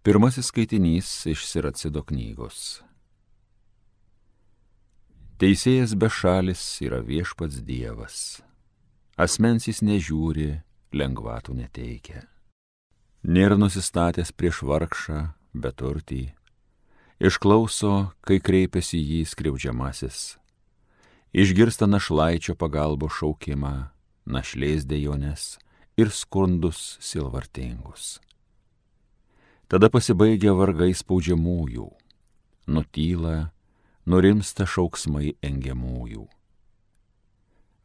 Pirmasis skaitinys iš Siracido knygos. Teisėjas bešalis yra viešpats Dievas. Asmens jis nežiūri, lengvatų neteikia. Nėra nusistatęs prieš vargšą, beturtį. Išklauso, kai kreipiasi jį skriaudžiamasis. Išgirsta našlaičio pagalbos šaukimą, našlės dejonės ir skundus sielvartingus. Tada pasibaigia vargai spaudžiamųjų, nutyla, nurimsta šauksmai engiamųjų.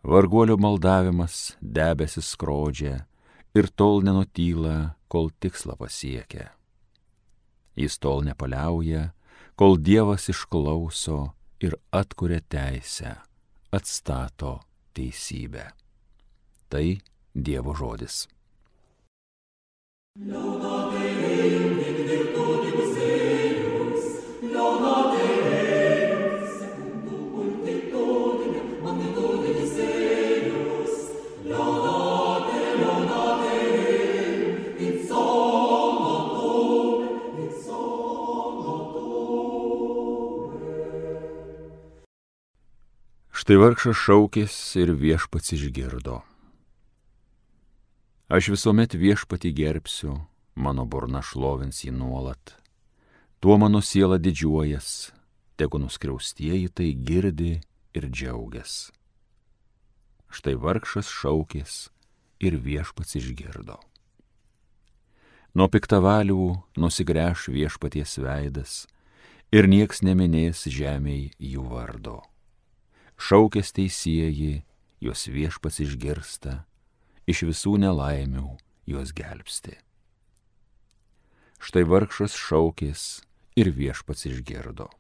Varguolio maldavimas debesis skrodžia ir tol nenutyla, kol tikslą pasiekia. Jis tol nepaliauja, kol Dievas išklauso ir atkuria teisę, atstato teisybę. Tai Dievo žodis. Štai vargšas šaukės ir viešpats išgirdo. Aš visuomet viešpatį gerbsiu, mano burna šlovins jį nuolat. Tuo mano siela didžiuojas, tegu nuskriaustieji tai girdi ir džiaugias. Štai vargšas šaukės ir viešpats išgirdo. Nuo piktavalių nusigręš viešpaties veidas ir nieks neminės žemėj jų vardo. Šaukės teisieji, juos viešpats išgirsta, iš visų nelaimių juos gelbsti. Štai vargšas šaukės ir viešpats išgirdo.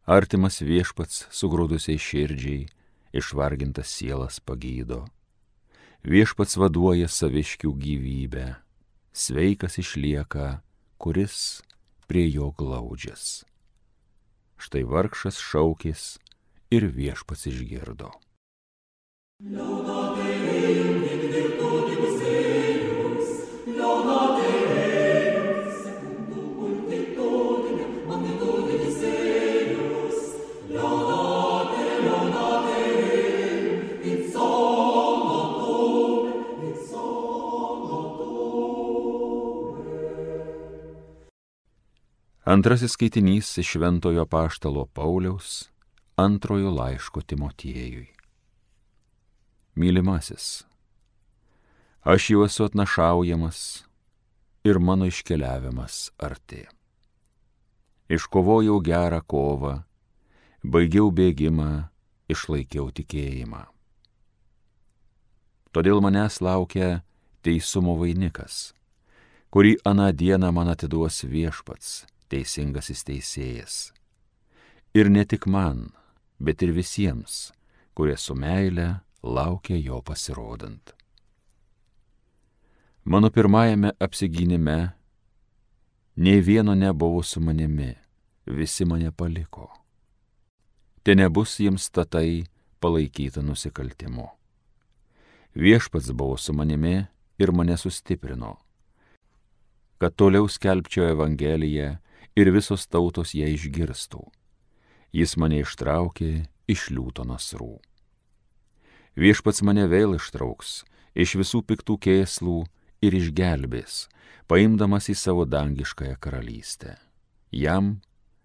Artimas viešpats sugrūdusiai širdžiai, išvargintas sielas pagydo. Viešpats vaduoja saviškių gyvybę, sveikas išlieka, kuris prie jo glaudžias. Štai vargšas šaukės ir viešpats išgirdo. Antrasis skaitinys iš Šventojo apaštalo Pauliaus antrojo laiško Timotiejui. Mylimasis, aš jau esu atnašaujamas ir mano iškeliavimas arti. Iškovojau gerą kovą, baigiau bėgimą, išlaikiau tikėjimą. Todėl manęs laukia teisumo vainikas, kurį aną dieną man atiduos viešpats, teisingasis teisėjas. Ir ne tik man, bet ir visiems, kurie su meile laukia jo pasirodant. Mano pirmajame apsigynime nei vieno nebuvo su manimi, visi mane paliko. Te nebus jiems tatai palaikyta nusikaltimu. Viešpats buvo su manimi ir mane sustiprino, kad toliau skelbčiau Evangeliją ir visos tautos ją išgirstų. Jis mane ištraukė iš liūto nasrų. Viešpats mane vėl ištrauks iš visų piktų kėslų ir išgelbės, paimdamas į savo dangiškąją karalystę. Jam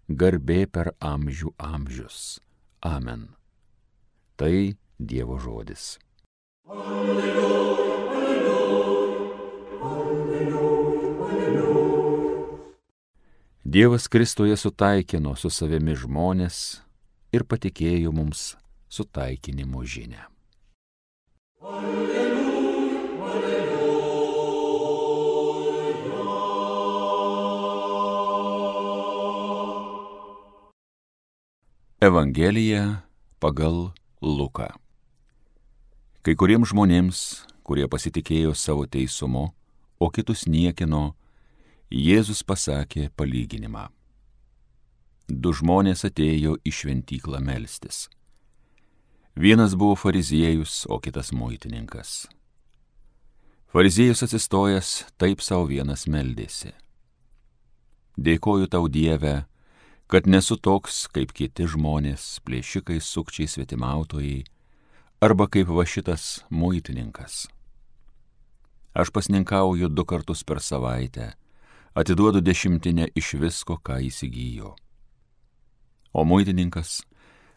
garbė per amžių amžius. Amen. Tai Dievo žodis. Alleluja, alleluja, alleluja, alleluja. Dievas Kristuje sutaikino su savimi žmonės ir patikėjo mums sutaikinimo žinią. Alleluja, alleluja. Evangelija pagal Luką. Kai kuriems žmonėms, kurie pasitikėjo savo teisumu, o kitus niekino, Jėzus pasakė palyginimą. Du žmonės atėjo į šventyklą melstis. Vienas buvo fariziejus, o kitas muitininkas. Fariziejus atsistojęs taip sau vienas meldėsi. Dėkoju tau, Dieve, kad nesu toks kaip kiti žmonės, plėšikai, sukčiai, svetimautojai, arba kaip va šitas muitininkas. Aš pasninkauju 2 kartus per savaitę, atiduodu 10 iš visko, ką įsigijo. O muitininkas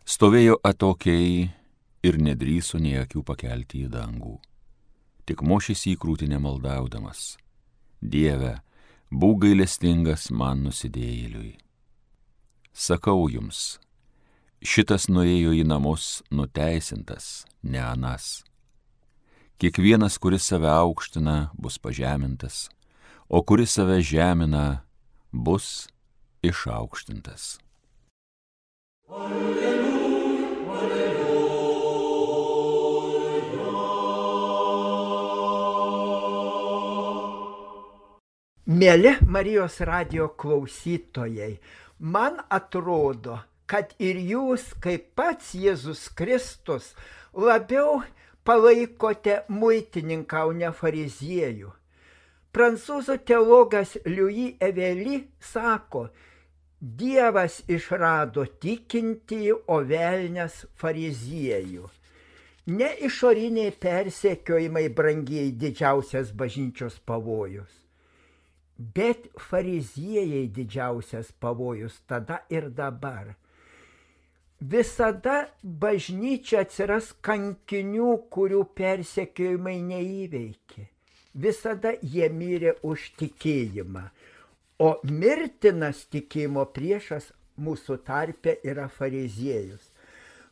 stovėjo atokiai ir nedrįso nei akių pakelti į dangų. Tik mošėsi į krūtinę maldaudamas: Dieve, būk gailestingas man nusidėjėliui. Sakau jums, šitas nuėjo į namus nuteisintas, ne anas. Kiekvienas, kuris save aukština, bus pažemintas, o kuris save žemina, bus išaukštintas. Mėly Marijos radijo klausytojai, man atrodo, kad ir jūs, kaip pats Jėzus Kristus, labiau palaikote muitininką, o ne fariziejų. Prancūzų teologas Louis Evely sako: Dievas išrado tikintįjį, o velnias fariziejų. Ne išoriniai persekiojimai, brangieji, didžiausias bažnyčios pavojus, bet fariziejai didžiausias pavojus tada ir dabar. Visada bažnyčia atsiras kankinių, kurių persekiojimai neįveikė. Visada jie mirė už tikėjimą. O mirtinas tikėjimo priešas mūsų tarpe yra fariziejus.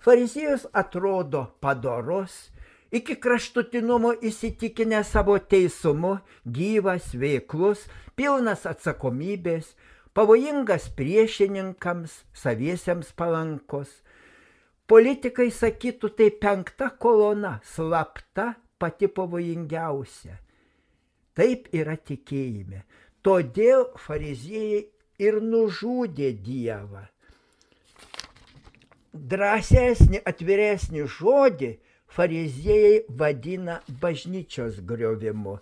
Fariziejus atrodo padorus, iki kraštutinumo įsitikinęs savo teisumu, gyvas, veiklus, pilnas atsakomybės, pavojingas priešininkams, saviesiems palankus. Politikai sakytų, tai 5. kolona, slapta, pati pavojingiausia. Taip yra tikėjime. Todėl fariziejai ir nužudė Dievą. Drąsesnį, atviresnį žodį fariziejai vadina bažnyčios griovimu.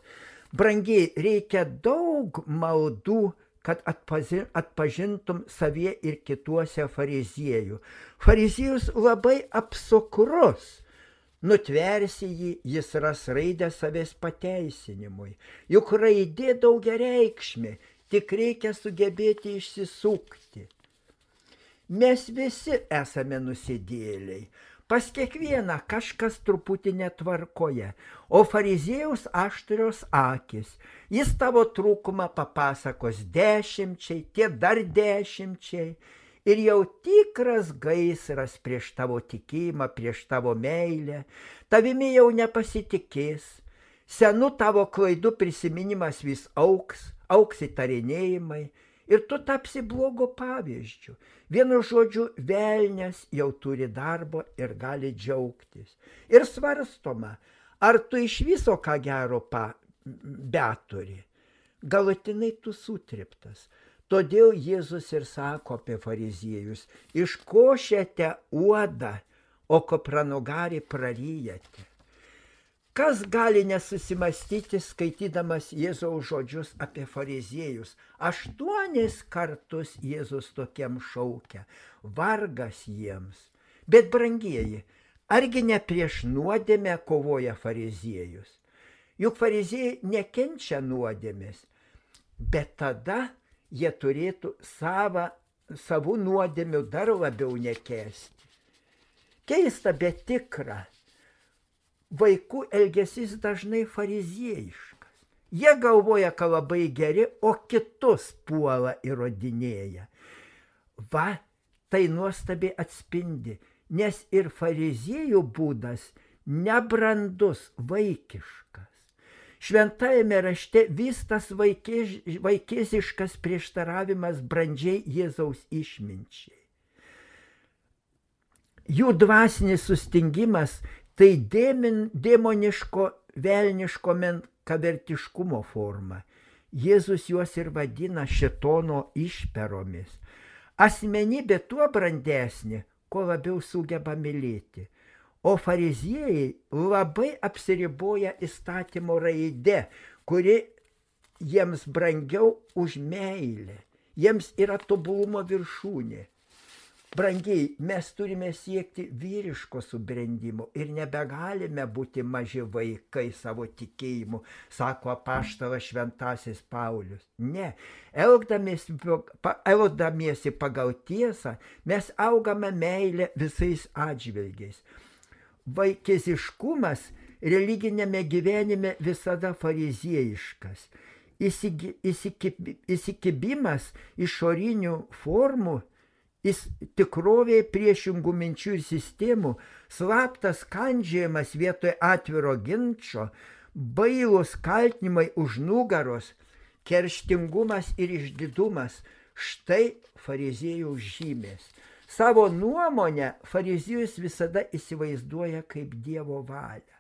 Brangiai, reikia daug maldų, kad atpažintum savie ir kituose fariziejų. Fariziejus labai apsukrus. Nutversi jį, jis ras raidę savęs pateisinimui. Juk raidė daugiareikšmė, tik reikia sugebėti išsisukti. Mes visi esame nusidėjėliai. Pas kiekvieną kažkas truputį netvarkoje, o fariziejaus aštrios akis. Jis tavo trūkumą papasakos 10, tie dar 10. Ir jau tikras gaisras prieš tavo tikėjimą, prieš tavo meilę, tavimi jau nepasitikės, senų tavo klaidų prisiminimas vis auks įtarinėjimai ir tu tapsi blogo pavyzdžiu. Vienu žodžiu, velnias jau turi darbo ir gali džiaugtis. Ir svarstoma, ar tu iš viso ką gero beturi. Galutinai tu sutriptas. Todėl Jėzus ir sako apie fariziejus: iškošėte uodą, o kupranugarį praryjate. Kas gali nesusimastyti, skaitydamas Jėzaus žodžius apie fariziejus? 8 kartus Jėzus tokiem šaukia: vargas jiems. Bet, brangieji, argi ne prieš nuodėmę kovoja fariziejus? Juk fariziejai nekenčia nuodėmės, bet tada jie turėtų savų nuodėmių dar labiau nekęsti. Keista, bet tikra. Vaikų elgesys dažnai fariziejiškas. Jie galvoja, kad labai geri, o kitus puola įrodinėja. Va, tai nuostabiai atspindi, nes ir fariziejų būdas nebrandus, vaikiškas. Šventajame rašte vis tas vaikėziškas prieštaravimas brandžiai Jėzaus išminčiai. Jų dvasinis sustingimas tai demoniško, velniško menkavertiškumo forma. Jėzus juos ir vadina šėtono išperomis. Asmenybė tuo brandesnė, kuo labiau sugeba mylėti. O fariziejai labai apsiriboja įstatymo raide, kuri jiems brangiau už meilę. jiems yra tobulumo viršūnė. Brangiai, mes turime siekti vyriško subrendimo ir nebegalime būti maži vaikai savo tikėjimu, sako apaštalas Šventasis Paulius. Ne, elgdamiesi pagal tiesą, mes augame meilę visais atžvilgiais. Vaikiziškumas religinėme gyvenime visada fariziejiškas. Įsikibimas išorinių formų, tikrovėje priešingų minčių ir sistemų, slaptas kandžiojimas vietoje atviro ginčo, bailūs kaltinimai už nugaros, kerštingumas ir išdidumas – štai fariziejų žymės. Savo nuomonę fariziejus visada įsivaizduoja kaip Dievo valią.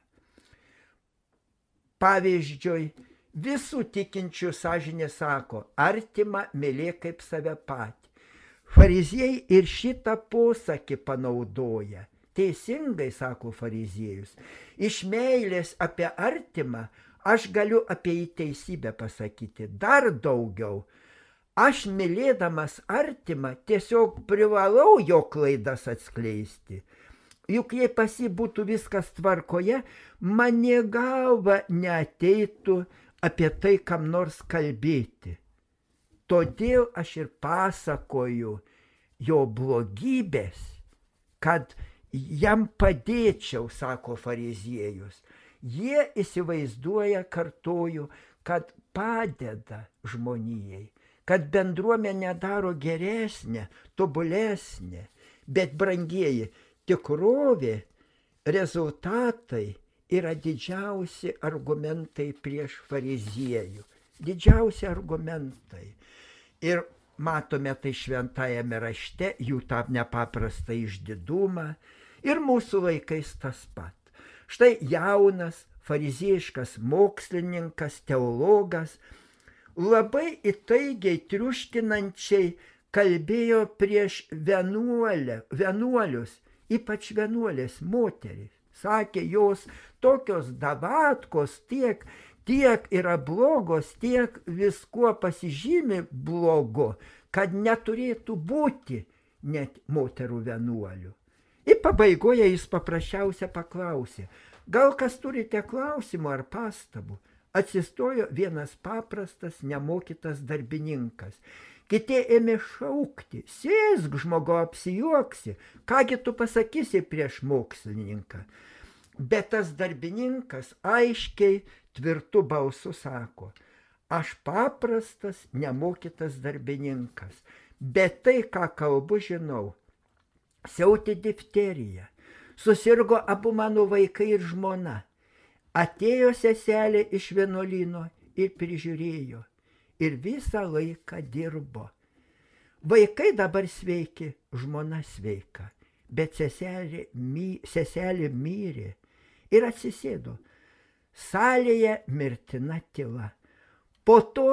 Pavyzdžiui, visų tikinčių sąžinė sako, artimą mylėk kaip save patį. Fariziejai ir šitą posakį panaudoja. Teisingai, sako fariziejus, iš meilės apie artimą aš galiu apie jį teisybę pasakyti. Dar daugiau, aš mylėdamas artimą tiesiog privalau jo klaidas atskleisti. Juk jei pas jį būtų viskas tvarkoje, man nė galva neateitų apie tai kam nors kalbėti. Todėl aš ir pasakoju jo blogybės, kad jam padėčiau, sako fariziejus. Jie įsivaizduoja, kartoju, kad padeda žmonijai, kad bendruomenę daro geresnė, tobulesnė. Bet, brangieji, tikrovė, rezultatai yra didžiausi argumentai prieš fariziejų. Didžiausi argumentai. Ir matome tai šventajame rašte, jų tą nepaprastą išdidumą. Ir mūsų laikais tas pat. Štai jaunas, fariziejiškas mokslininkas, teologas, labai įtaigiai, triuškinančiai kalbėjo prieš vienuolius, ypač vienuolės moterys. Sakė, jos tokios davatkos tiek yra blogos, tiek viskuo pasižymi blogo, kad neturėtų būti net moterų vienuolių. Ir pabaigoje jis paprasčiausia paklausė, gal kas turite klausimų ar pastabų? Atsistojo vienas paprastas, nemokytas darbininkas. Kiti ėmė šaukti, sėsk žmogau, apsijuoksi, kągi tu pasakysi prieš mokslininką. Bet tas darbininkas aiškiai, tvirtu balsu sako, aš paprastas, nemokytas darbininkas, bet tai, ką kalbu, žinau. Siautė difterija, susirgo abu mano vaikai ir žmona. Atėjo seselė iš vienuolyno ir prižiūrėjo, ir visą laiką dirbo. Vaikai dabar sveiki, žmona sveika, bet seselė mirė ir atsisėdo. Salėje mirtina tyla. Po to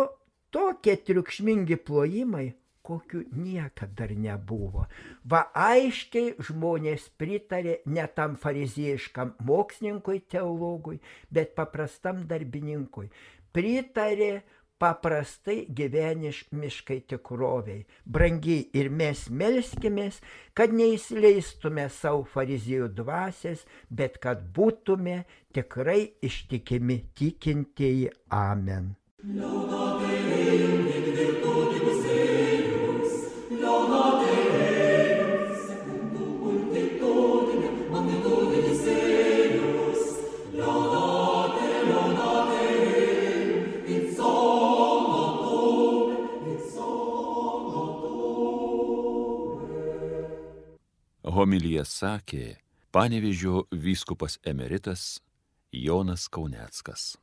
tokie triukšmingi plojimai, kokių niekada dar nebuvo. Va aiškiai žmonės pritarė ne tam fariziejiškam mokslininkui, teologui, bet paprastam darbininkui. Pritarė paprastai gyvenimiškai tikroviai. Brangiai, ir mes melskimės, kad neįsileistume savo fariziejų dvasias, bet kad būtume tikrai ištikimi tikintieji. Amen. Homiliją sakė Panevėžio vyskupas emeritas Jonas Kauneckas.